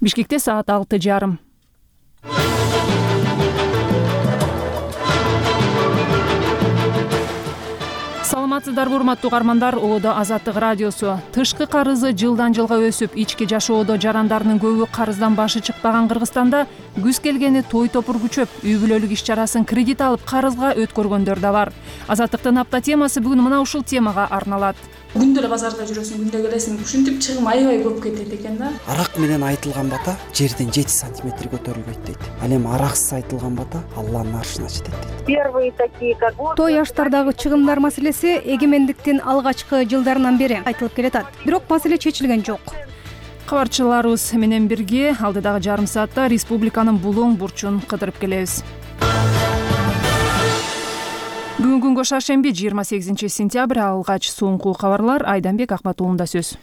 Бишкекте саат 6:30. Саламатсыздарбы урматтуу угармандар? Оодо Азаттык радиосу. Тышкы карызы жылдан жылга өсүп, ички жашоодо жарандарынын көбү карыздан башы чыкпаган Кыргызстанда күз келгени той топур күчөп, үй бүлөлүк иш чарасын кредит алып карызга өткөргөндөр да бар. Азаттыктын апта темасы бүгүн мына ушул темага арналат. Күндө эле базарда жүрөсүң, күндө келесиң, ушинтип чыгым аябай көп кетет экен да. Арак менен айтылган бата жерден 7 сантиметр көтөрүлбөйт дейт. Ал эми араксыз айтылган бата Алланын аршына жетет дейт. Первые такие как той аштардагы чыгымдар маселеси эгемендиктин алгачкы жылдарынан бери айтылып келатат. Бирок маселе чечилген жок. Кабарчыларыбыз менен бирге алдыдагы жарым саатта республиканын булуң бурчун кыдырып келебиз. Бүгүн күнгө шаршемби 28 сентябрь, алгач соңку кабарлар Айданбек Акматуулунда сөз.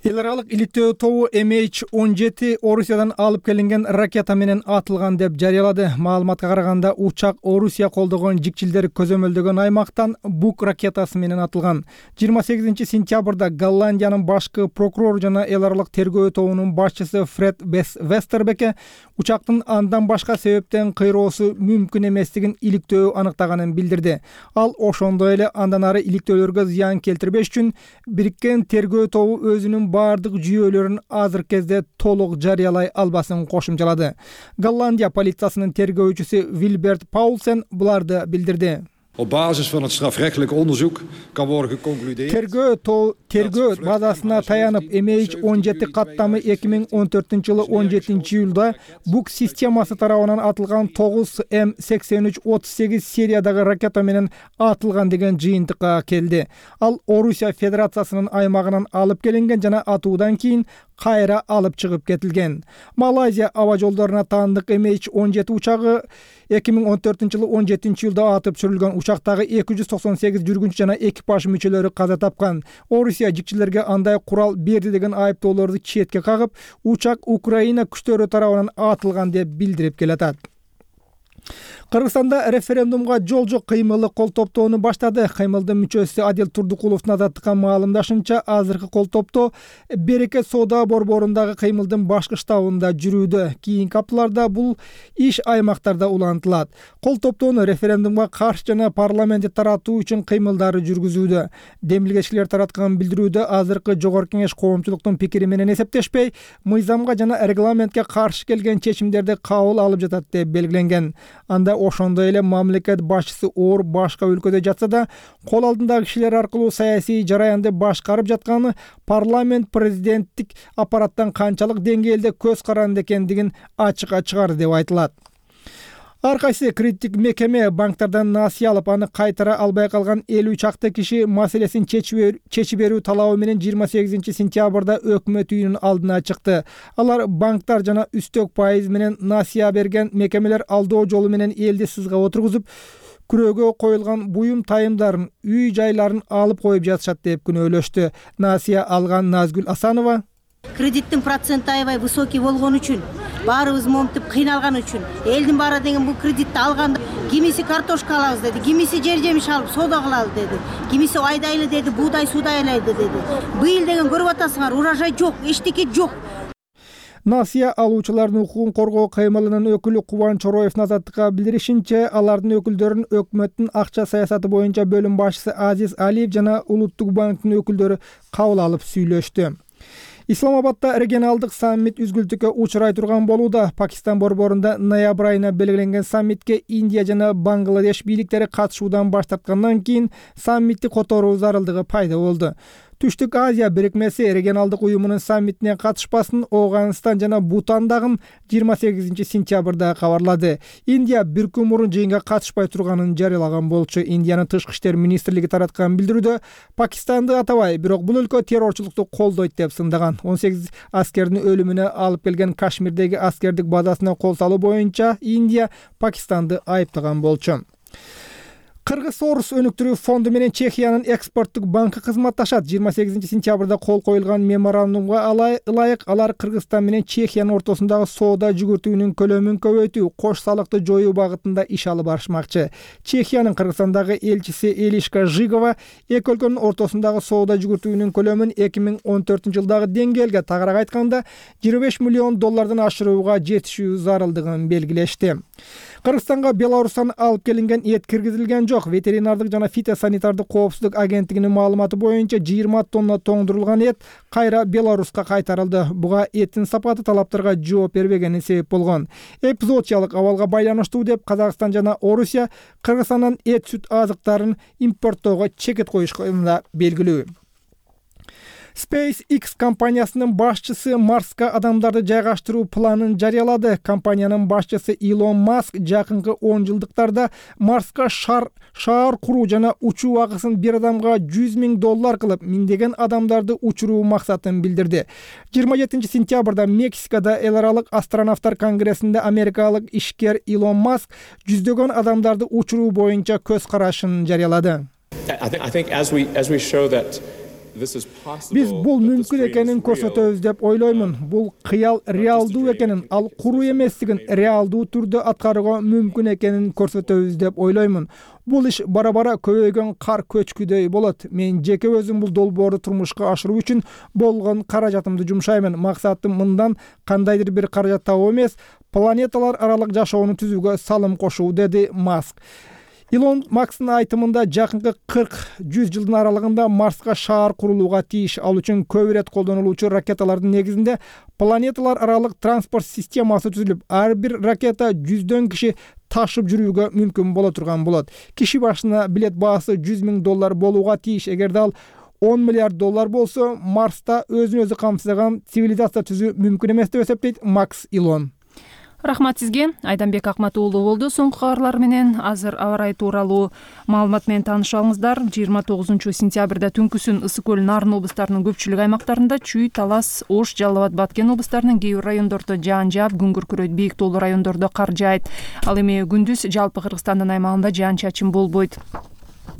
Эл аралык иликтөө тобу MH17 Орусиядан алып келинген ракета менен атылган деп жарыялады. Маалыматка караганда учак Орусия колдогон жикчилдер көзөмөлдөгөн аймактан Бук ракетасы менен атылган. 28 сентябрда Голландиянын башкы прокурору жана эл аралык тергөө тобунун башчысы Фред Вестербеке учактын андан башка себептен кыйроосу мүмкүн эместигин иликтөө аныктаганын билдирди. Ал ошондой эле андан ары иликтөөлөргө зыян келтирбеш үчүн бириккен тергөө тобу өзүнүн бардык жүйөлөрүн азыркы кезде толук жарыялай албасын кошумчалады. Голландия полициясынын тергөөчүсү Вильберт Паулсен буларды билдирди. Op basis van het strafrechtelijk onderzoek kan worden geconcludeerd. Тергөө базасына таянып MH17 каттамы 2014-жылы 17-июлда Бук системасы тарабынан атылган 9М8338 сериядагы ракета менен атылган деген жыйынтыкка келди. Ал Орусия Федерациясынын аймагынан алып келинген жана атуудан кийин кайра алып чыгып кетилген. Малайзия аба жолдоруна таандык MH17 учагы 2014-жылы 17-июлда атып түшүрүлгөн. Учактагы 298 жүргүнчү жана экипаж мүчөлөрү каза тапкан. Орусия жикчилерге андай курал берди деген айыптоолорду четке кагып, учак Украина күчтөрү тарабынан атылган деп билдирип келатат. Кыргызстанда референдумга жол жок кыймылы кол топтоону баштады. Кыймылдын мүчөсү Адил Турдукуловдун азаттыкка маалымдашынча, азыркы кол топтоо Берекет соода борборундагы кыймылдын башкы штабында жүрүүдө. Кийинки апталарда бул иш аймактарда улантылат. Кол топтоону референдумга каршы жана парламентти таратуу үчүн кыймылдары жүргүзүүдө. Демилгечилер тараткан билдирүүдө азыркы жогорку кеңеш коомчулуктун пикири менен эсептешпей, мыйзамга жана регламентке каршы келген чечимдерди кабыл алып жатат деп белгиленген. Анда ошондой эле мамлекет башчысы оор башка өлкөдө жатса да, кол алдындагы кишилер аркылуу саясий жараянды башкарып жатканы парламент президенттик аппараттан канчалык деңгээлде көз каранды экендигин ачыкка чыгарды деп айтылат. Ар кайсы кредиттик мекеме банктардан насыя алып, аны кайтара албай калган 50 чакты киши маселесин чечип берүү талабы менен 28 сентябрда өкмөт үйүнүн алдына чыкты. Алар банктар жана үстөк пайыз менен насыя берген мекемелер алдоо жолу менен элди сызга отургузуп, күрөөгө коюлган буюм тайымдарын, үй жайларын алып коюп жатышат деп күнөөлөштү. Насыя алган Назгүл Асанова: кредиттин проценти аябай высокий болгон үчүн, баарыбыз момтип кыйналган үчүн, элдин баары деген бул кредитти алганда кимиси картошка алабыз деди, кимиси жер жемиш алып соода кылалы деди, кимиси айдайлы деди, буудай суудайлайды деди. Быйыл деген көрүп атасыңар, урожай жок, эчтеке жок. Насыя алуучулардын укугун коргоо кыймылынын өкүлү Кубанч Ороевдун азаттыкка билдиришинче, алардын өкүлдөрүн өкмөттүн акча саясаты боюнча бөлүм башчысы Азиз Алиев жана Улуттук банктын өкүлдөрү кабыл алып сүйлөштү. Исламабадда регионалдык саммит үзгүлтүккө учурай турган болууда. Пакистан борборунда ноябрь айына белгиленген саммитке Индия жана Бангладеш бийликтери катышуудан баш тарткандан кийин саммитти которуу зарылдыгы пайда болду. Түштүк Азия бирикмеси регионалдык уюмунун саммитине катышпасын Ооганстан жана Бутан дагы 28 сентябрда кабарлады. Индия бир күн мурун жыйынга катышпай турганын жарыялаган болчу. Индиянын тышкы иштер министрлиги тараткан билдирүүдө Пакистанды атабай, бирок бул өлкө террорчулукту колдойт деп сындаган. 18 аскердин өлүмүнө алып келген Кашмирдеги аскердик базасына кол салуу боюнча Индия Пакистанды айыптаган болчу. Кыргыз Орус өнүктүрүү фонду менен Чехиянын экспорттук банкы кызматташат. 28-сентябрда кол коюлган меморандумга ылайык алар Кыргызстан менен Чехиянын ортосундагы соода жүгүртүүнүн көлөмүн көбөйтүү, кош салыкты жоюу багытында иш алып барышмакчы. Чехиянын Кыргызстандагы элчиси Элишка Жигова эки өлкөнүн ортосундагы соода жүгүртүүнүн көлөмүн 2014-жылдагы деңгээлге тагыраак айтканда $25 миллион ашырууга жетишүү зарылдыгын белгилешти. Кыргызстанга Беларустан алып келинген эт киргизилген жок. Ветеринардык жана фитосанитардык коопсуздук агенттигинин маалыматы боюнча 20 тонна тоңдурулган эт кайра Беларуска кайтарылды. Буга эттин сапаты талаптарга жооп бербегени себеп болгон. Эпизоотиялык абалга байланыштуу деп Казакстан жана Орусия Кыргызстандан эт сүт азыктарын импорттоого чекет коюшканы белгилүү. SpaceX компаниясынын башчысы Марска адамдарды жайгаштыруу планын жарыялады. Компаниянын башчысы Илон Маск жакынкы 10 жылдыктарда Марска шаар куруу жана учуу акысын бир адамга $100 000 кылып, миңдеген адамдарды учуруу максатын билдирди. 27-сентябрда Мексикада эл аралык астронавттар конгрессинде америкалык ишкер Илон Маск жүздөгөн адамдарды учуруу боюнча көз карашын жарыялады. Биз бул мүмкүн экенин көрсөтөбүз деп ойлоймун. Бул кыял реалдуу экенин, ал куруу эместигин реалдуу түрдө аткарууга мүмкүн экенин көрсөтөбүз деп ойлоймун. Бул иш бара-бара көбөйгөн кар көчкүдөй болот. Мен жеке өзүм бул долбоорду турмушка ашыруу үчүн болгон каражатымды жумшаймын. Максатым мындан кандайдыр бир каражат табуу эмес, планеталар аралык жашоону түзүүгө салым кошуу, деди Маск. Илон Маскнын айтымында жакынкы 40-100 жылдын аралыгында Марска шаар курулууга тийиш. Ал үчүн көп ирет колдонулуучу ракеталардын негизинде планеталар аралык транспорт системасы түзүлүп, ар бир ракета 100 киши ташып жүрүүгө мүмкүн боло турган болот. Киши башына билет баасы $100 000 болууга тийиш. Эгерде ал $10 миллиард болсо, Марста өзүн өзү камсызган цивилизация түзүү мүмкүн эмес деп эсептейт Макс Илон. Рахмат сизге. Айданбек Акмат уулу болду. Соңку кабарлар менен азыр аба ырайы тууралуу маалымат менен таанышабыңыздар. 29-сентябрда түнкүсүн Ысык көл, Нарын облустарынын көпчүлүк аймактарында, Чүй, Талас, Ош, Жалал Абад, Баткен облустарынын кээ бир райондордо жаан жаап, күн күркүрөйт, бийик тоолуу райондордо кар жаайт. Ал эми күндүз жалпы Кыргызстандын аймагында жаан чачын болбойт.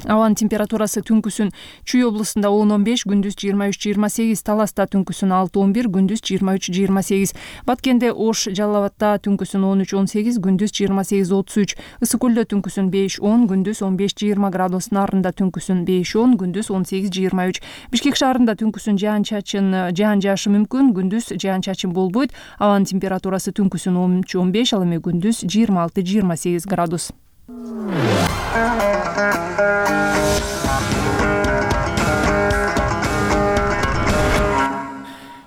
Абанын температурасы түнкүсүн Чүй облусунда 10-15, күндүз 23-28, Таласта түнкүсүн 6-11, күндүз 23-28, Баткенде, Ош, Жалал Абадта түнкүсүн 13-18, күндүз 28-33, Ысык көлдө түнкүсүн 5-10, күндүз 15-20 градус, Нарында түнкүсүн 5-10, күндүз 18-23, Бишкек шаарында түнкүсүн жаан жаашы мүмкүн, күндүз жаан чачын болбойт. Абанын температурасы түнкүсүн 13-15, ал эми күндүз 26-28 градус.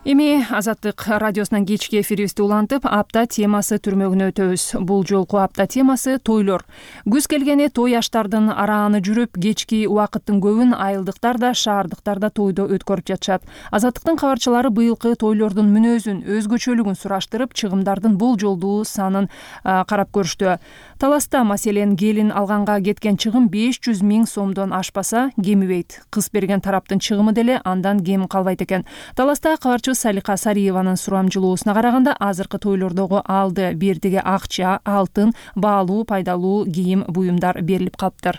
Эми Азаттык радиосунан кечки эфирибизди улантып, апта темасы түрмөгүнө өтөбүз. Бул жолку апта темасы тойлор. Күз келгени той аштардын арааны жүрүп, кечки убакыттын көбүн айылдыктар да, шаардыктар да тойдо өткөрүп жатышат. Азаттыктын кабарчылары быйылкы тойлордун мүнөзүн, өзгөчөлүгүн сураштырып, чыгымдардын болжолдуу санын карап көрүштү. Таласта маселен келин алганга кеткен чыгым 500 000 сомдон ашпаса кемибейт. Кыз берген тараптын чыгымы деле андан кем калбайт экен. Таласта кабарчы Салика Сариеванын сурамжылоосуна караганда, азыркы тойлордогу алды бердиге акча, алтын, баалуу, пайдалуу кийим, буюмдар берилип калыптыр.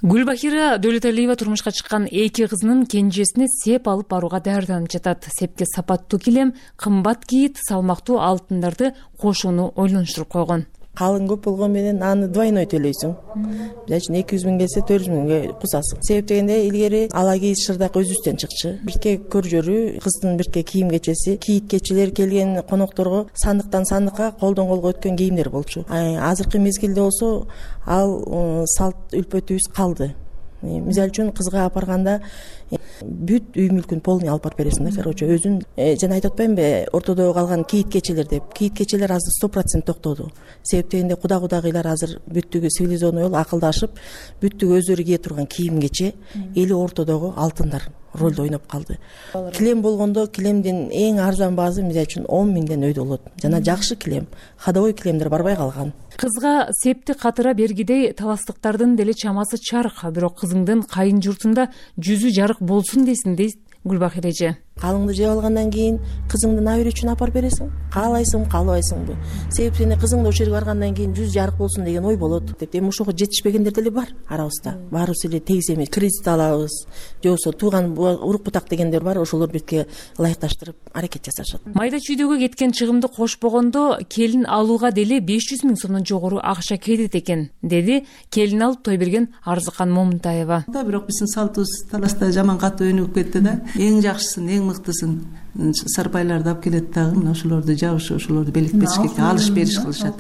Гүлбахира Дөлөталиева турмушка чыккан эки кызынын кенжесине сеп алып барууга даярданып жатат. Сепке сапаттуу килем, кымбат кийит, салмактуу алтындарды кошууну ойлонуштуруп койгон. Калың көп болгон менен аны двойной төлөйсүң. Мисалы үчүн 200 000 келсе 400 000 кусасың. Себеп дегенде илгери ала кийиз шырдак өзүбүздөн чыкчы. Бирке көржөрү, кыздын бирке кийим кечеси, кийит кечелер келген конокторго сандыктан сандыкка, колдон колго өткөн кийимдер болчу. Азыркы мезгилде болсо ал салт үлпөтүбүз калды. Мисалы үчүн кызга апарганда бүт үй мүлкүн полный алып барып бересиң да, короче өзүн. Жана айтып атпаймынбы, ортодо калган кийит кечелер деп. Кийит кечелер азыр 100% токтоду. Себеп дегенде кудагыйлар азыр бүттүгү цивилизованный болуп акылдашып, бүттүгү өздөрү кие турган кийим кече, эли ортодогу алтындар ролду ойноп калды. Килем болгондо килемдин эң арзан баасы мисалы үчүн 10 000ден өйдө болот. Жана жакшы килем, ходовой килемдер барбай калган. Кызга септи катыра бергидей таластыктардын деле чамасы чарык, бирок кызыңдын кайын журтунда жүзү жарык болсун десин дейт Гүлбахир эже. Калыңды жеп алгандан кийин кызыңды набере үчүн апарып бересиң. Каалайсыңбы, каалабайсыңбы? Себеби сени кызыңды ошол жерге баргандан кийин жүз жарык болсун деген ой болот деп. Эми ошого жетишпегендер деле бар арабызда. Баарыбыз эле тегиз эмес. Кредит алабыз, же болбосо тууган урук бутак дегендер бар. Ошолор бетке ылайыкташтырып аракет жасашат. Майда чүйдөгө кеткен чыгымды кошпогондо келин алууга деле 500 000 сомдон жогору акча кетет экен, деди келин алып той берген Арзыкан Момунтаева. Бирок биздин салтыбыз таласта жаман катуу өнүгүп кетти да. Эң жакшысын, эң мыктысын сарбайларды алып келет дагы, мына ошолорду жабышып, ошолорду белек-бечкекке алыш бериш кылышат.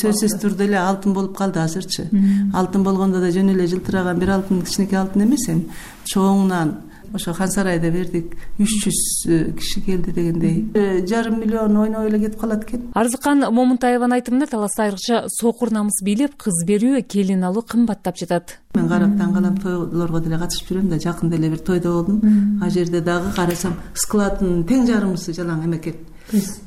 Сөзсүз түрдө эле алтын болуп калды азырчы. Алтын болгондо да жөн эле жылтыраган бир алтын, кичинекей алтын эмес, эми чоңунан ошо Хан сарайда бердик, 300 киши келди дегендей. 5,5 миллион ойноп эле кетип калат экен. Арзыкан Момунтаеванын айтымында таласта айрыкча сокур намыс бийлеп кыз берүү, келин алуу кымбаттап жатат. Мен карап таң калам, тойлорго деле катышып жүрөм да, жакында эле бир тойдо болдум. А жерде дагы карасам, складдын тең жарымысы жалаң эме экен.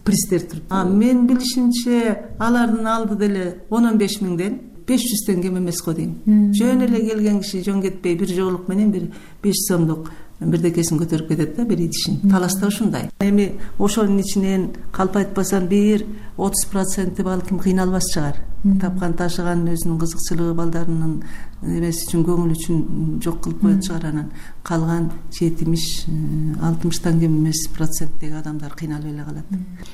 Пристер туруп. Мен билишимче алардын алды деле 10-15 миңден 500 кем эмес го дейм. Жөн эле келген киши жөн кетпей бир жоолук менен бир 5 сомдук бирдекесин көтөрүп кетет да, бир идишин. Таласта ушундай. Эми ошонун ичинен калп айтпасам бир 30% балким кыйналбас чыгар. Тапкан ташыган өзүнүн кызыкчылыгы, балдарынын эмеси үчүн, көңүл үчүн жок кылып коет чыгар. Анан калган 70-60 кем эмес проценттеги адамдар кыйналып эле калат.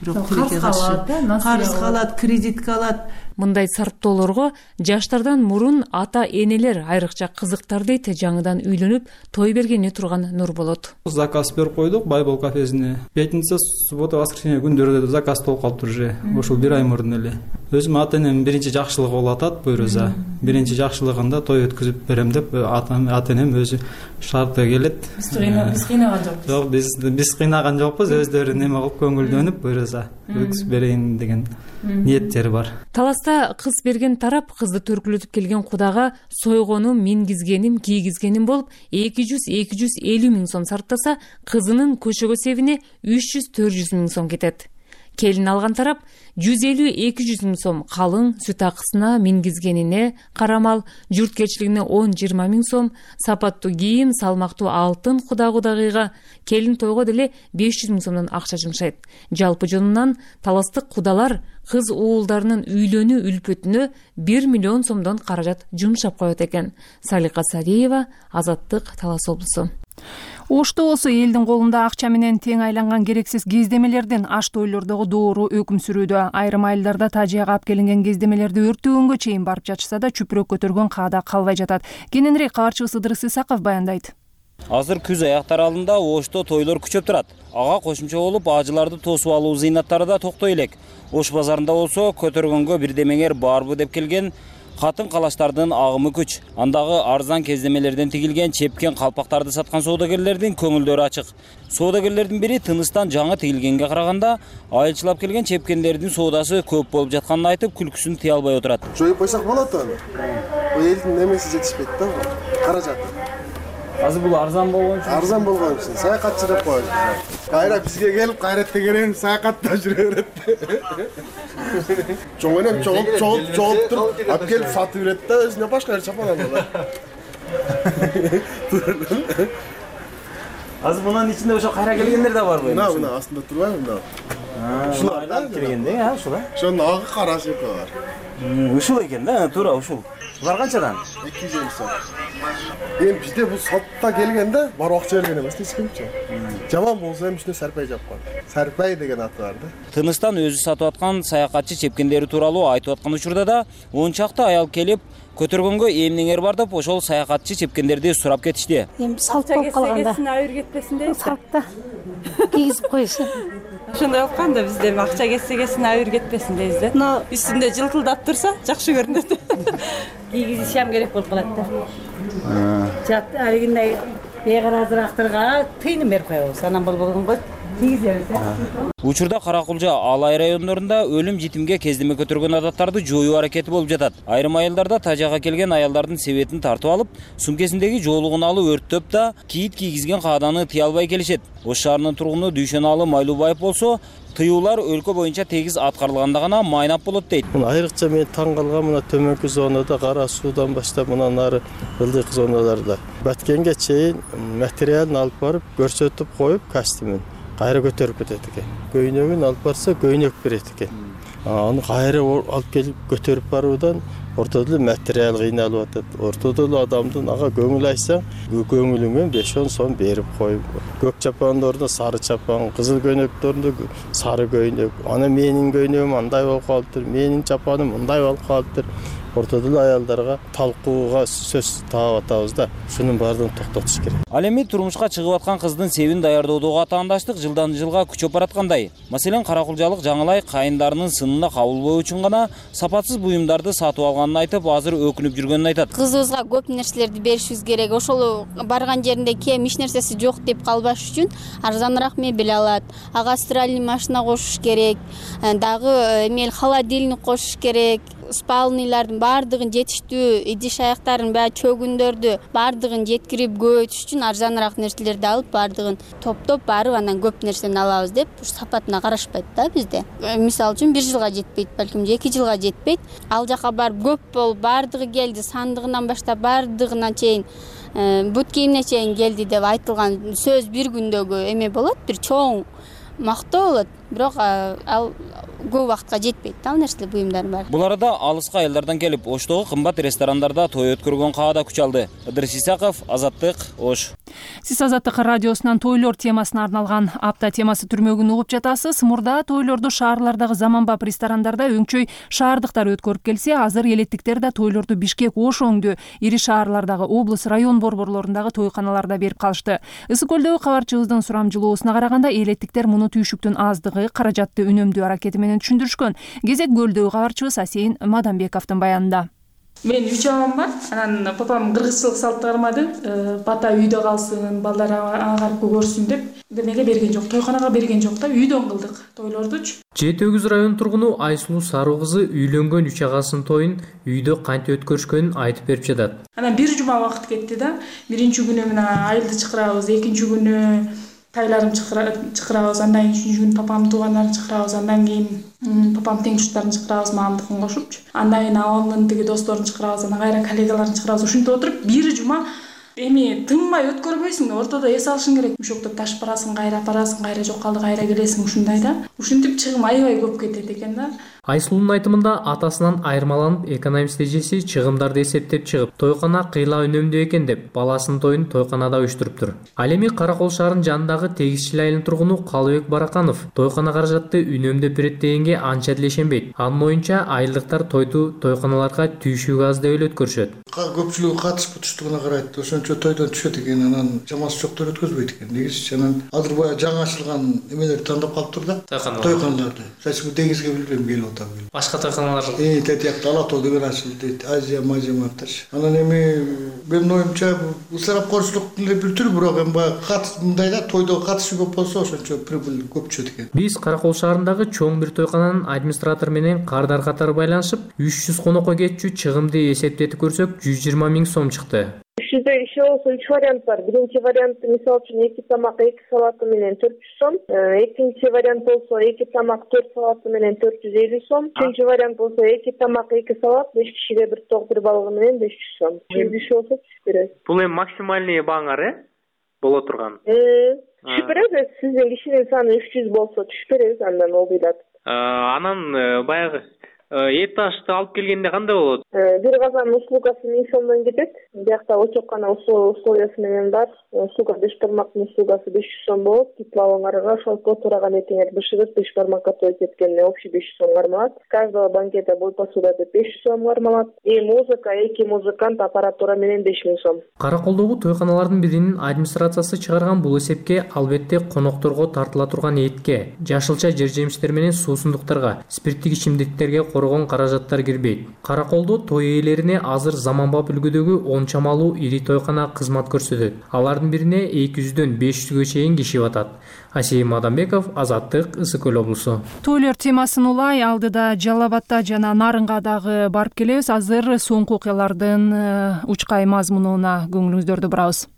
Бирок тилекке каршы карыз калат, кредитке алат. Мындай сарптоолорго жаштардан мурун ата энелер айрыкча кызыктар дейт жаңыдан үйлөнүп той бергени турган Нурболот. Заказ берип койдук Байбол кафесине. Пятница, суббота, воскресенье күндөрү заказ болуп калыптыр уже. Ошол бир ай мурун эле. Өзүм ата энем биринчи жакшылыгы болуп атат буйруза. Биринчи жакшылыгында той өткүзүп берем деп ата энем өзү шарты келет. Биз кыйнаган жокпуз. Жок, биз кыйнаган жокпуз. Өздөрү неме кылып көңүлдөнүп буйруза өткүзүп берейин деген ниеттери бар. Таласта кыз берген тарап кызды төркүлөтүп келген кудага сойгонум, мингизгеним, кийгизгеним болуп 200-250 миң сом сарптаса, кызынын көчөгө себине 300-400 миң сом кетет. Келин алган тарап 150-200 миң сом калың сүт акысына, мингизгенине, карамал, журткерчилигине 10-20 миң сом, сапаттуу кийим, салмактуу алтын куда-кудагыйга, келин тойго деле 500 миң сомдон акча жумшайт. Жалпы жонунан таластык кудалар кыз уулдарынын үйлөнүү үлпөтүнө 1 миллион сомдон каражат жумшап коет экен. Салика Сариева, Азаттык, Талас облусу. Ошто болсо элдин колунда акча менен тең айланган керексиз кездемелерден аш тойлордогу доору өкүм сүрүүдө. Айрым айылдарда тажыяга алып келинген кездемелерди өрттөгөнгө чейин барып жатышса да чүпүрөк көтөргөн каада калбай жатат. Кененирээк каарчыбыз Ыдырыс Исаков баяндайт. Азыр күз аяктар алдында Ошто тойлор күчөп турат. Ага кошумча болуп ажыларды тосуп алуу зыйнаттары да токтой элек. Ош базарында болсо көтөргөнгө бирдемеңер барбы деп келген катын-калаштардын агымы күч. Андагы арзан кездемелерден тигилген чепкен калпактарды саткан соодагерлердин көңүлдөрү ачык. Соодагерлердин бири тыныстан жаңы тигилгенге караганда айылчылап келген чепкендердин соодасы көп болуп жатканын айтып, күлкүсүн тыя албай отурат. Жоюп койсок болот аны. Элдин немеси жетишпейт да, каражат. Азыр бул арзан болгон үчүн саякатчы деп коебуз. Кайра бизге келип, кайрат дегенин саякатта жүрө берет. Чоң энем чогулуп туруп, алып келип сатып берет да, өзүнө башка жер чапан алат. Азыр мунун ичинде ошо кайра келгендер да барбы? Мына астында турбайбы мына? Ушул айланып келгенде, ушул. Ошонун агы карасы бар. Ушул экен да, туура ушул. Булар канчадан? 250 сом. Эми бизде бул сотто келгенде бар акча берген эмес эчкимчи. Жаман болсо эми үстүнө Сарпай жапкан. Сарпай деген аты бар да. Тыныстан өзү сатып аткан саякатчы чепкендери тууралуу айтып аткан учурда да 10 чакты аял келип көтөргөнгө эмнеңер бар деп ошол саякатчы чепкендерди сурап кетишти. Эми салт болуп калганда айыр кетпесин дейт. Салтта кийгизип коюшу. Ошондой болуп калганда бизде акча кетсе айыр кетпесин дейбиз да. Үстүндө жылтылдап турса жакшы көрүнөт. Кийгизишем керек болуп калат да. Жат алигиндей бейгаразырактарга тыйын берип коебуз. Анан болбогонго кийгизебиз да. Учурда Каракулжа, Алай райондорунда өлүм житимге кездеме көтөргөн адаттарды жоюу аракети болуп жатат. Айрым айылдарда тажага келген аялдардын себетин тартып алып, сумкесиндеги жоолугун алып өрттөп да кийит кийгизген кааданы тыя албай келишет. Ош шаарынын тургуну Дүйшөналы Майлубаев болсо, тыюулар өлкө боюнча тегиз аткарылганда гана майнап болот дейт. Айрыкча мен таң калган мына төмөнкү зонада Кара суудан баштап мындан ары ылдык зоналарда баткенге чейин материалын алып барып көрсөтүп коюп костюмун кайра көтөрүп кетет экен. Көйнөгүн алып барса көйнөк берет экен. Аны кайра алып келип көтөрүп баруудан ортодо эле материал кыйналып атат. Ортодо эле адамдын ага көңүл айтсаң, көңүлүңөн 5-10 сом берип коюп, көк чапандардын сары чапан, кызыл көйнөктөрүндө сары көйнөк. Ана менин көйнөгүм андай болуп калыптыр, менин чапаным мындай болуп калыптыр. Ортодо эле аялдарга талкууга сөз таап атабыз да. Шунун баардыгын токтотуш керек. Ал эми турмушка чыгып аткан кыздын себин даярдоодогу атаандаштык жылдан жылга күчөп бараткандай. Маселен, Каракулжалык Жаңылай кайындарынын сынына кабылбоо үчүн гана сапатсыз буюмдарды сатып алганын айтып, азыр өкүнүп жүргөнүн айтат. Кызыбызга көп нерселерди беришибиз керек. Ошол барган жеринде кем эч нерсеси жок деп калбаш үчүн арзаныраак мебель алат. Ага стиральный машина кошуш керек. Дагы эмел холодильник кошуш керек. Спалныйлардын баардыгын жетиштүү, идиш аяктарын баягы чөгүндөрдү баардыгын жеткирип көбөйтүш үчүн арзаныраак нерселерди алып, баардыгын топтоп барып анан көп нерсени алабыз деп сапатына карашпайт да бизде. Мисалы үчүн 1 жылга жетпейт, балким 2 жылга жетпейт. Ал жака барып көп болуп баардыгы келди, сандыгынан баштап баардыгына чейин, бут кийимине чейин келди деп айтылган сөз бир күндөгү эме болот, бир чоң мактоо болот. Бирок ал көп убакытка жетпейт да, ал нерселер буюмдардын баары. Бул арада алыска айылдардан келип, Оштогу кымбат ресторандарда той өткөргөн каада күч алды. Ыдырыс Исаков, Азаттык, Ош. Сиз Азаттык радиосунан тойлор темасына арналган апта темасы түрмөгүн угуп жатасыз. Мурда тойлорду шаарлардагы заманбап ресторандарда өңчөй шаардыктар өткөрүп келсе, азыр элеттиктер да тойлорду Бишкек, Ош өңдүү ири шаарлардагы облус, район борборлорундагы тойканаларда берип калышты. Ысык көлдөгү кабарчыбыздын сурамжылоосуна караганда, элеттиктер муну түйшүктүн аздыгы, каражатты үнөмдүү аракети менен түшүндүрүшкөн. Кезек көлдөгү кабарчыбыз Асейин Мадамбековдун баянында. Мен 3 апам бар. Анан папам кыргызчылык салт кармады. Бата үйдө калсын, балдар ага көрсүн деп демеге берген жок. Тойканага берген жок да, үйдөн кылдык тойлордучу. Жети Өгүз район тургуну Айсулуу Саруу кызы үйлөнгөн 3 агасынын тоюн үйдө кантип өткөрүшкөнүн айтып берип жатат. Анан 1 жума убакыт кетти да. Биринчи күнү мына айылды чакырабыз, экинчи күнү тайларым чакырабыз, андан кийин 3-күнү күнү папамдын туугандарын чакырабыз, андан кийин папам тең туштарын чакырабыз, мамамдыкын кошупчу. Андан кийин абамдын тиги досторун чакырабыз, анан кайра коллегаларын чакырабыз. Ушинтип отуруп 1 жума эми тынбай өткөрбөйсүң да, ортодо эс алышың керек. Ушокто ташып барасың, кайра жок калды, кайра келесиң, ушундай да. Ушинтип чыгым аябай көп кетет экен да. Айсулуунун айтымында атасынан айырмаланып, экономист эжеси чыгымдарды эсептеп чыгып, тойкана кыйла үнөмдүү экен деп, баласынын тоюн тойканада уюштуруптур. Ал эми Каракол шаарынын жанындагы Тегизчил айылынын тургуну Калыбек Бараканов тойкана каражатты үнөмдөп берет дегенге анча деле ишенбейт. Анын оюнча, айылдыктар тойду тойканаларга түйшүгү аз деп эле өткөрүшөт. Көпчүлүгү катышып туштугуна карайт. Ошончо тойдон түшөт экен, анан чамасы жоктор өткөзбөйт экен. Негизичи анан азыр баягы жаңы ачылган эмелерди тандап калыптыр да. Тойканаларды. Сачы Тегизге билбейм, келип атам. Башка тойканалар тетиякта Алатоо деген ачылды дейт, Азия мажематташ. Анан эми менин оюмча ысырапкорчулуктун эле бир түрү, бирок эми баягы мындай да, тойдо катышы көп болсо ошончо прибыль көп түшөт экен. Биз Каракол шаарындагы чоң бир тойкананын администратору менен кардар катары байланышып, 300 конокко кетчү чыгымды эсептетип көрсөк, 120 000 сом чыкты. 300 иши болсо 3 вариант бар. Биринчи вариант мисалы үчүн 2 тамак 2 салаты менен 400 сом. Экинчи вариант болсо 2 тамак 4 салаты менен 450 сом. Үчүнчү вариант болсо 2 тамак 2 салат 5 кишиге бир ток бир балыгы менен 500 сом. 100 иши болсо түшүп берет. Бул эми максимальный бааңар боло турган. Түшүп берет. Сиздин кишинин саны 300 болсо түшүп беребиз, андан болбойт. Анан баягы эт ашты алып келгенде кандай болот? Бир казан услугасы 1000 сомдон кетет. Биякта очоккана условиясы менен бар. Услуга 5 бармактын услугасы 500 сом болот. Тепловоңарга ошол тураган этиңер бышырып 5 бармакка той кеткенде общий 500 сом кармалат. Каждого банкета бой посуда деп 500 сом кармалат. Музыка, 2 музыкант, аппаратура менен 5000 сом. Караколдогу тойканалардын биринин администрациясы чыгарган бул эсепке албетте конокторго тартыла турган этке, жашылча жер жемиштер менен суусундуктарга, спирттик ичимдиктерге коргон каражаттар кирбейт. Караколдо той ээлерине азыр заманбап үлгүдөгү 10 чамалуу ири тойкана кызмат көрсөтөт. Алардын бирине 200дөн 500гө чейин киши батат. Асейин Мадамбеков, Азаттык, Ысык көл облусу. Тойлор темасын улай алдыда Жалал Абадта жана Нарынга дагы барып келебиз. Азыр соңку окуялардын учкай мазмунуна көңүлүңүздөрдү бурабыз.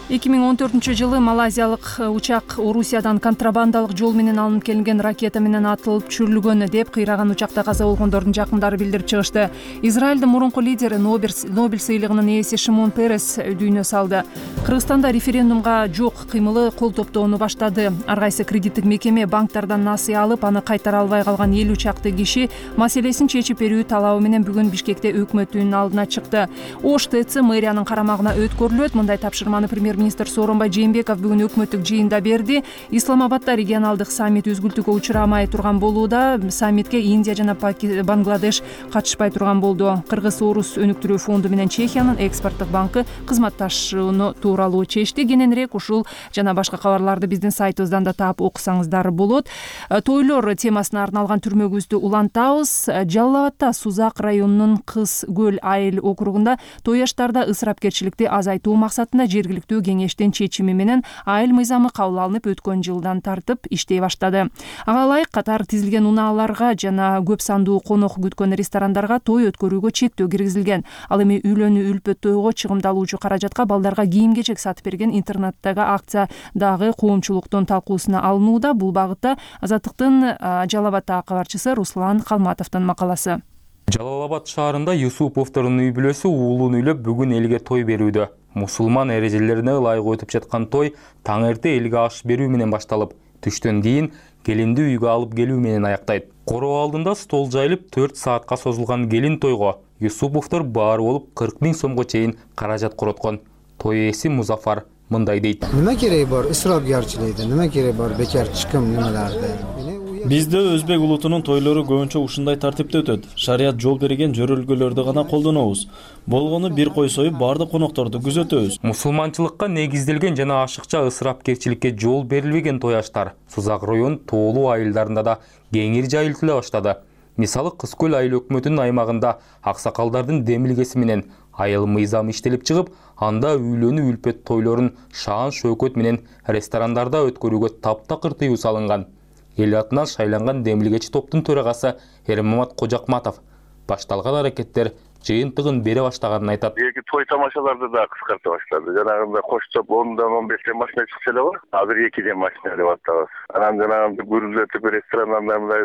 2014-жылы малайзиялык учак Орусиядан контрабандалык жол менен алынып келинген ракета менен атылып түшүрүлгөн деп кыйраган учакта каза болгондордун жакындары билдирип чыгышты. Израилдин мурунку лидери Нобель сыйлыгынын ээси Шимон Перес дүйнө салды. Кыргызстанда референдумга жок кыймылы кол топтоону баштады. Ар кайсы кредиттик мекеме банктардан насыя алып, аны кайтара албай калган 50 чакты киши маселесин чечип берүү талабы менен бүгүн Бишкекте өкмөттүн алдына чыкты. Ош ТЦ мэриянын карамагына өткөрүлөт. Мындай тапшырманы премьер-министр Сооронбай Жээнбеков бүгүн өкмөттүк жыйында берди. Исламабадда регионалдык саммит үзгүлтүүгө учурамай турган болууда. Саммитке Индия жана Бангладеш катышпай турган болду. Кыргыз-Орус өнүктүрүү фонду менен Чехиянын экспорттук банкы кызматташууну тууралуу чечти. Кененирээк ушул жана башка кабарларды биздин сайтыбыздан да таап окусаңыздар болот. Тойлор темасына арналган түрмөгүбүздү улантабыз. Жалал Абадда Сузак районунун Кыз Көл айыл округунда той аштарда ысырапкерчиликти азайтуу максатында жергиликтүү кеңештин чечими менен айыл мыйзамы кабыл алынып, өткөн жылдан тартып иштей баштады. Ага ылайык катар тизилген унааларга жана көп сандуу конок күткөн ресторандарга той өткөрүүгө чектөө киргизилген. Ал эми үйлөнүү үлпөт тойго чыгымдалуучу каражатка балдарга кийим-кечек сатып берген интернеттеги акция дагы коомчулуктун талкуусуна алынууда. Бул багытта Азаттыктын Жалал Абаддагы кабарчысы Руслан Калматовдун макаласы. Жалал Абад шаарында Юсуповдордун үй бүлөсү уулун үйлөп бүгүн элге той берүүдө. Мусулман эрежелерине ылайык өтүп жаткан той таң эрте элге аш берүү менен башталып, түштөн кийин келинди үйгө алып келүү менен аяктайт. Короо алдында стол жайылып 4 саатка созулган келин тойго Юсуповдор баары болуп 40 000 сомго чейин каражат короткон. Той ээси Музафар мындай дейт. Нема кереги бар ысырапкерчиликти, нема кереги бар бекер чыккан немелерди? Бизде өзбек улутунун тойлору көбүнчө ушундай тартипте өтөт. Шарият жол берген жөрөлгөлөрдү гана колдонобуз. Болгону бир кой союп баардык конокторду күзөтөбүз. Мусулманчылыкка негизделген жана ашыкча ысырапкерчиликке жол берилбеген той аштар Сузак район тоолуу айылдарында да кеңири жайылтыла баштады. Мисалы Кыз Көл айыл өкмөтүнүн аймагында аксакалдардын демилгеси менен айыл мыйзамы иштелип чыгып, анда үйлөнүү үлпөт тойлорун шаан шөкөт менен ресторандарда өткөрүүгө таптакыр тыюу салынган. Эл атынан шайланган демилгечи топтун төрагасы Эрмамат Кожакматов башталган аракеттер жыйынтыгын бере баштаганын айтат. Эки той тамашаларды да кыскарта баштады. Жанагында коштоп 10дан 15 машина чыкса эле бар. Азыр 2 машина деп атабыз. Анан жанагы көрүнүп ресторандан мындай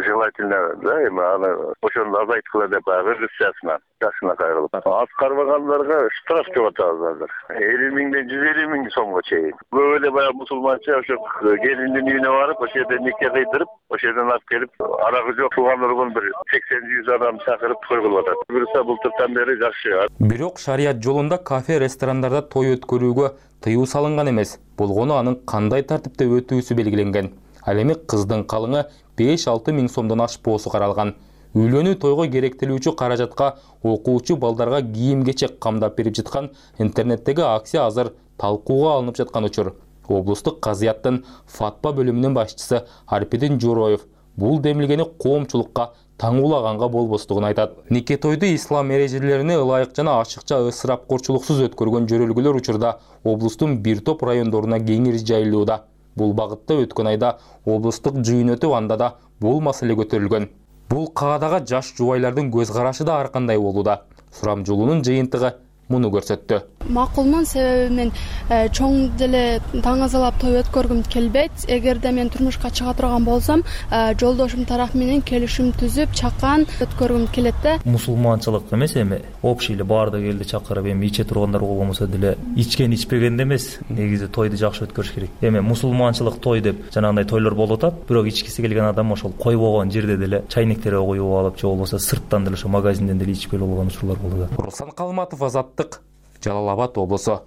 желательно да эми аны ошону азайткыла деп режиссиясына жашына кайрылып. Аткарбагандарга штраф деп атабыз азыр. 50 000ден 150 000 сомго чейин. Көп эле баягы мусулманча ошо келиндин үйүнө барып, ошол жерде нике кыйдырып, ошол жерден алып келип, арагы жок туугандар бир 80-100 адам чакырып той кылып атат. Былтыртан бери жакшы. Бирок шарият жолунда кафе, ресторандарда той өткөрүүгө тыюу салынган эмес. Болгону анын кандай тартипте өтүүсү белгиленген. Ал эми кыздын калыңы 5-6 000 сомдон ашпоосу каралган. Үйлөнүү тойго керектелүүчү каражатка окуучу балдарга кийим-кечек камдап берип жаткан интернеттеги акция азыр талкууга алынып жаткан учур. Облустук казыяттын Фатпа бөлүмүнүн башчысы Арпидин Журоев бул демилгени коомчулукка таңуулаганга болбостугун айтат. Нике тойду ислам эрежелерине ылайык жана ашыкча ысырапкорчулуксуз өткөргөн жөрөлгөлөр учурда облустун бир топ райондоруна кеңири жайылууда. Бул багытта өткөн айда облустук жыйын өтүп, анда да бул маселе көтөрүлгөн. Бул каадага жаш жубайлардын көз карашы да ар кандай болууда. Сурамжулуунун жыйынтыгы муну көрсөттү. Макулмун, себеби мен чоң деле таңазалап той өткөргүм келбейт. Эгерде мен турмушка чыга турган болсом, жолдошум тараф менен келишим түзүп, чакан өткөргүм келет да. Мусулманчылык эмес эми общий эле баардык элди чакырып, эми иче тургандар болбосо деле ичкен ичпегенде эмес, негизи тойду жакшы өткөрүш керек. Эми мусулманчылык той деп жанагындай тойлор болуп атат, бирок ичкиси келген адам ошол койбогон жерде деле чайниктерге коюп алып, же болбосо сырттан деле ошо магазинден деле ичип келип болгон учурлар болууда. Руслан Калматов, Азаттык, Жалал Абад облусу.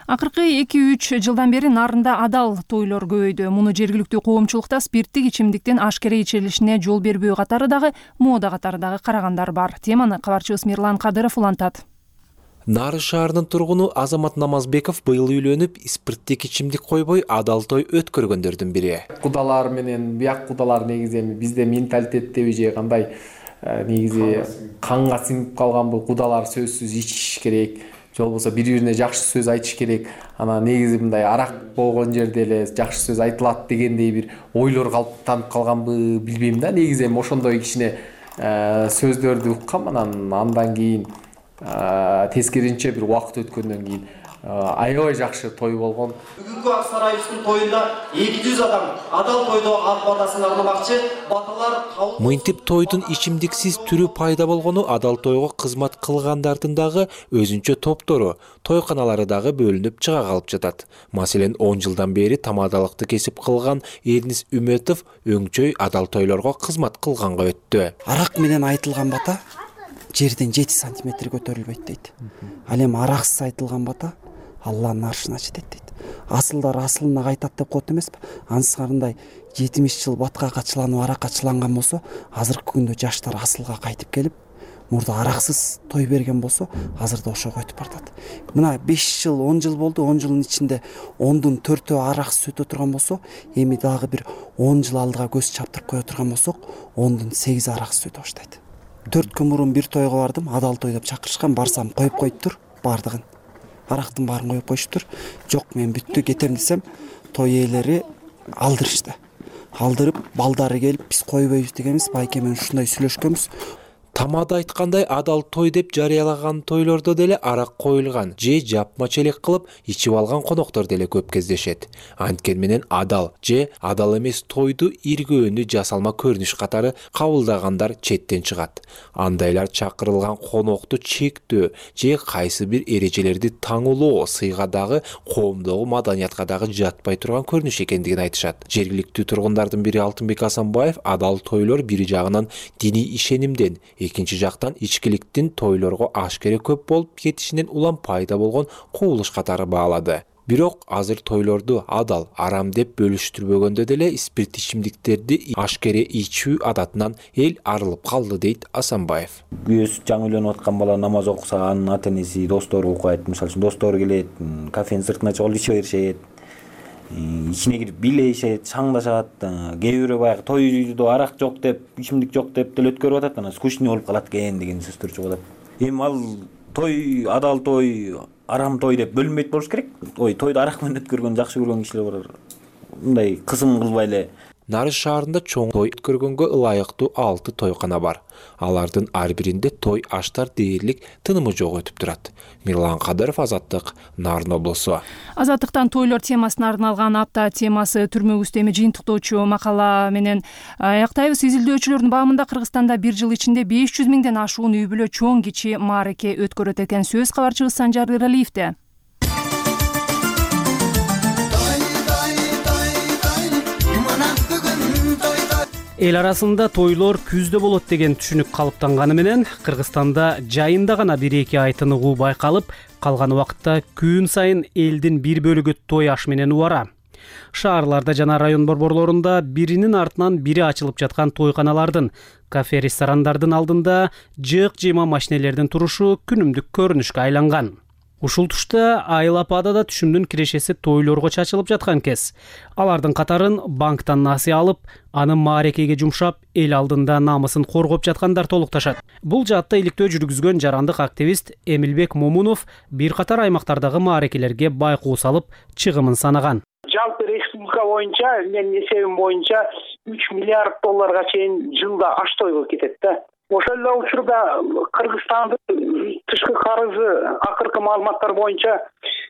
Акыркы 2-3 жылдан бери Нарында адал тойлор көбөйдү. Муну жергиликтүү коомчулукта спирттик ичимдиктин ашкере ичилишине жол бербөө катары дагы, мода катары дагы карагандар бар. Теманы кабарчыбыз Мирлан Кадыров улантат. Нары шаарынын тургуну Азамат Намазбеков быйыл үйлөнүп, спирттик ичимдик койбой адал той өткөргөндөрдүн бири. Кудалар менен бияк кудалар негизи бизде менталитеттеби же кандай негизи канга сиңип калган бул кудалар сөзсүз ичиш керек. Же болбосо бири-бирине жакшы сөз айтыш керек. Ана негизи мындай арак болгон жерде эле жакшы сөз айтылат дегендей бир ойлор калыптанып калганбы билбейм да. Негизи эми ошондой кичине сөздөрдү уккам, андан кийин тескеринче бир убакыт өткөндөн кийин аябай жакшы той болгон. Бүгүнкү ак сарайыбыздын тоюнда 200 адам адал тойдо ак батасын арнамакчы. Баталар Мынтип тойдун ичимдиксиз түрү пайда болгону адал тойго кызмат кылгандардын дагы өзүнчө топтору, тойканалары дагы бөлүнүп чыга калып жатат. Маселен, 10 жылдан бери тамадалыкты кесип кылган Эрнис Үмөтов өңчөй адал тойлорго кызмат кылганга өттү. Арак менен айтылган бата жерден 7 сантиметр көтөрүлбөйт дейт. Ал эми араксыз айтылган бата Алланын аршына жетет дейт. Асылдар асылына кайтат деп коет эмеспи? Ансыгарындай 70 жыл батка качыланып аракка чыланган болсо, азыркы күндө жаштар асылга кайтып келип, мурда араксыз той берген болсо, азырда ошого өтүп бартат. Мына 5 жыл, 10 жыл болду, 10 жылдын ичинде 10дун 4-өө араксыз өтө турган болсо, эми дагы бир 10 жыл алдыга көз чаптырып кое турган болсок, 10дун 8 араксыз өтө баштайт. 4 күн мурун бир тойго бардым, адал той деп чакырышкан, барсам коюп коюптур бардыгын. Арактын баарын коюп коюштур. Жок, мен бүттү кетем десем, той ээлери алдырышты. Алдырып, балдары келип, биз койбойбуз дегенбиз, байке менен ушундай сүйлөшкөнбүз. Тамада айткандай адал той деп жарыялаган тойлордо деле арак коюлган же жапма челек кылып ичип алган коноктор деле көп кездешет. Анткени менен адал же адал эмес тойду иргөөнү жасалма көрүнүш катары кабылдагандар четтен чыгат. Андайлар чакырылган конокту чектөө же кайсы бир эрежелерди таңулоо сыйга дагы коомдогу маданиятка дагы жатпай турган көрүнүш экендигин айтышат. Жергиликтүү тургундардын бири Алтынбек Асанбаев адал тойлор бир жагынан диний ишенимден, экинчи жактан ичкиликтин тойлорго ашкере көп болуп кетишинен улам пайда болгон кубулуш катары баалады. Бирок азыр тойлорду адал, арам деп бөлүштүрбөгөндө деле спирт ичимдиктерди ашкере ичүү адатынан эл арылып калды дейт Асанбаев. Өз жаңы үйлөнүп аткан бала намаз окуса, анын ата энеси, достору укпайт. Мисалы үчүн достору келет, кафенин сыртына чыгып иче беришет. Ичине кирип билешет, шаңдашат. Кээ бирөө баягы тойдо арак жок деп, ичимдик жок деп деле өткөрүп атат, анан скучный болуп калат экен деген сөздөр чыгып атат. Эми ал той, адал той, арам той деп бөлүнбөйт болуш керек. Тойду арак менен өткөргөн жакшы көргөн кишилер бар. Мындай кысым кылбай эле. Нарыз шаарында чоң той өткөргөнгө ылайыктуу 6 тойкана бар. Алардын ар биринде той аштар дээрлик тынымы жок өтүп турат. Мирлан Кадыров, Азаттык, Нарын облусу. Азаттыктан тойлор темасына арналган апта темасы түрмөгүбүздө эми жыйынтыктоочу макала менен аяктайбыз. Изилдөөчүлөрдүн баамында Кыргызстанда 1 жыл ичинде 500 миңден ашуун үй бүлө чоң кичи маареке өткөрөт экен. Сөз кабарчыбыз Санжар Эралиевде. Эл арасында тойлор күздө болот деген түшүнүк калыптанганы менен Кыргызстанда жайында гана 1-2 ай тыныгуу байкалып, калган убакытта күн сайын элдин бир бөлүгү той аш менен убара. Шаарларда жана район борборлорунда биринин артынан бири ачылып жаткан тойканалардын, кафе, ресторандардын алдында жык-жыйма машинелердин турушу күнүмдүк көрүнүшкө айланган. Ушул тушта Айлапада да түшүмдүн кирешеси тойлорго чачылып жаткан кез. Алардын катарын банктан насыя алып, аны маарекеге жумшап, эл алдында намысын коргоп жаткандар толукташат. Бул жаатта иликтөө жүргүзгөн жарандык активист Эмилбек Момунов бир катар аймактардагы маарекелерге байкоо салып, чыгымын санаган. Жалпы республика боюнча, менин эсебим боюнча 3 миллиард долларга чейин жылда аш тойго кетет да. Ошол эле учурда Кыргызстандын тышкы карызы акыркы маалыматтар боюнча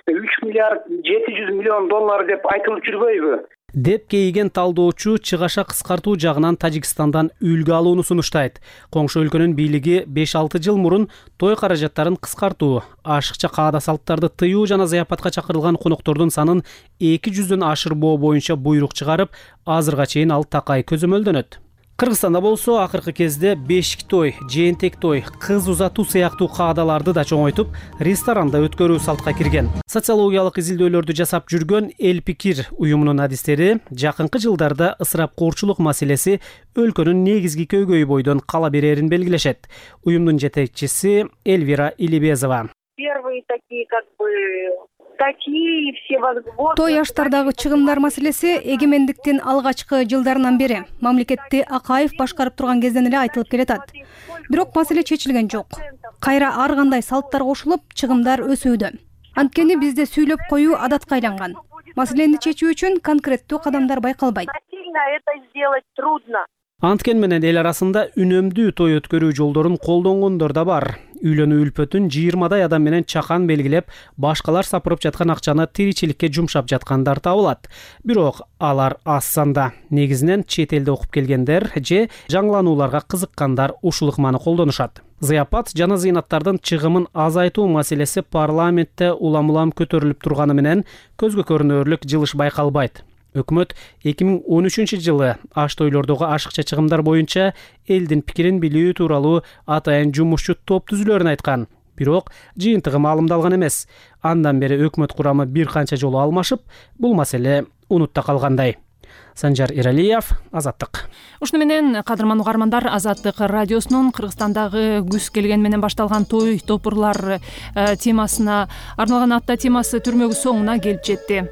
3 миллиард 700 миллион доллар деп айтылып жүрбөйбү? Деп кейиген талдоочу чыгаша кыскартуу жагынан Тажикстандан үлгү алууну сунуштайт. Коңшу өлкөнүн бийлиги 5-6 жыл мурун той каражаттарын кыскартуу, ашыкча каада салттарды тыюу жана зыяпатка чакырылган коноктордун санын 200дөн ашырбоо боюнча буйрук чыгарып, азырга чейин ал такай көзөмөлдөнөт. Кыргызстанда болсо акыркы кезде бешик той, жээнтек той, кыз узатуу сыяктуу каадаларды да чоңойтуп, ресторанда өткөрүү салтка кирген. Социологиялык изилдөөлөрдү жасап жүргөн Эл Пикир уюмунун адистери жакынкы жылдарда ысырапкорчулук маселеси өлкөнүн негизги көйгөй бойдон кала берерин белгилешет. Уюмдун жетекчиси Эльвира Илибезова. Первые такие статьи, все возможные. Той аштардагы чыгымдар маселеси эгемендиктин алгачкы жылдарынан бери мамлекетти Акаев башкарып турган кезден эле айтылып келатат. Бирок маселе чечилген жок. Кайра ар кандай салттар кошулуп, чыгымдар өсүүдө. Анткени бизде сүйлөп коюу адатка айланган. Маселени чечүү үчүн конкреттүү кадамдар байкалбайт. Это сделать трудно. Анткени менен эл арасында үнөмдүү той өткөрүү жолдорун колдонгондор да бар. Үйлөнүү үлпөтүн 20 адам менен чакан белгилеп, башкалар сапырып жаткан акчаны тиричиликке жумшап жаткандар табылат. Бирок алар аз санда. Негизинен чет элде окуп келгендер же жаңыланууларга кызыккандар ушул ыкманы колдонушат. Зыяпат жана зыйнаттардын чыгымын азайтуу маселеси парламентте улам көтөрүлүп турганы менен көзгө көрүнөрлүк жылыш байкалбайт. Өкмөт 2013 жылы аш тойлордогу ашыкча чыгымдар боюнча элдин пикирин билүү тууралуу атайын жумушчу топ түзүлөрүн айткан. Бирок жыйынтыгы маалымдалган эмес. Андан бери өкмөт курамы бир канча жолу алмашып, бул маселе унутта калгандай. Санжар Иралиев, Азаттык. Ушуну менен кадырман угармандар, Азаттык радиосунун Кыргызстандагы күз келген менен башталган той топурлар темасына арналган апта темасы түрмөгү соңуна келип жетти.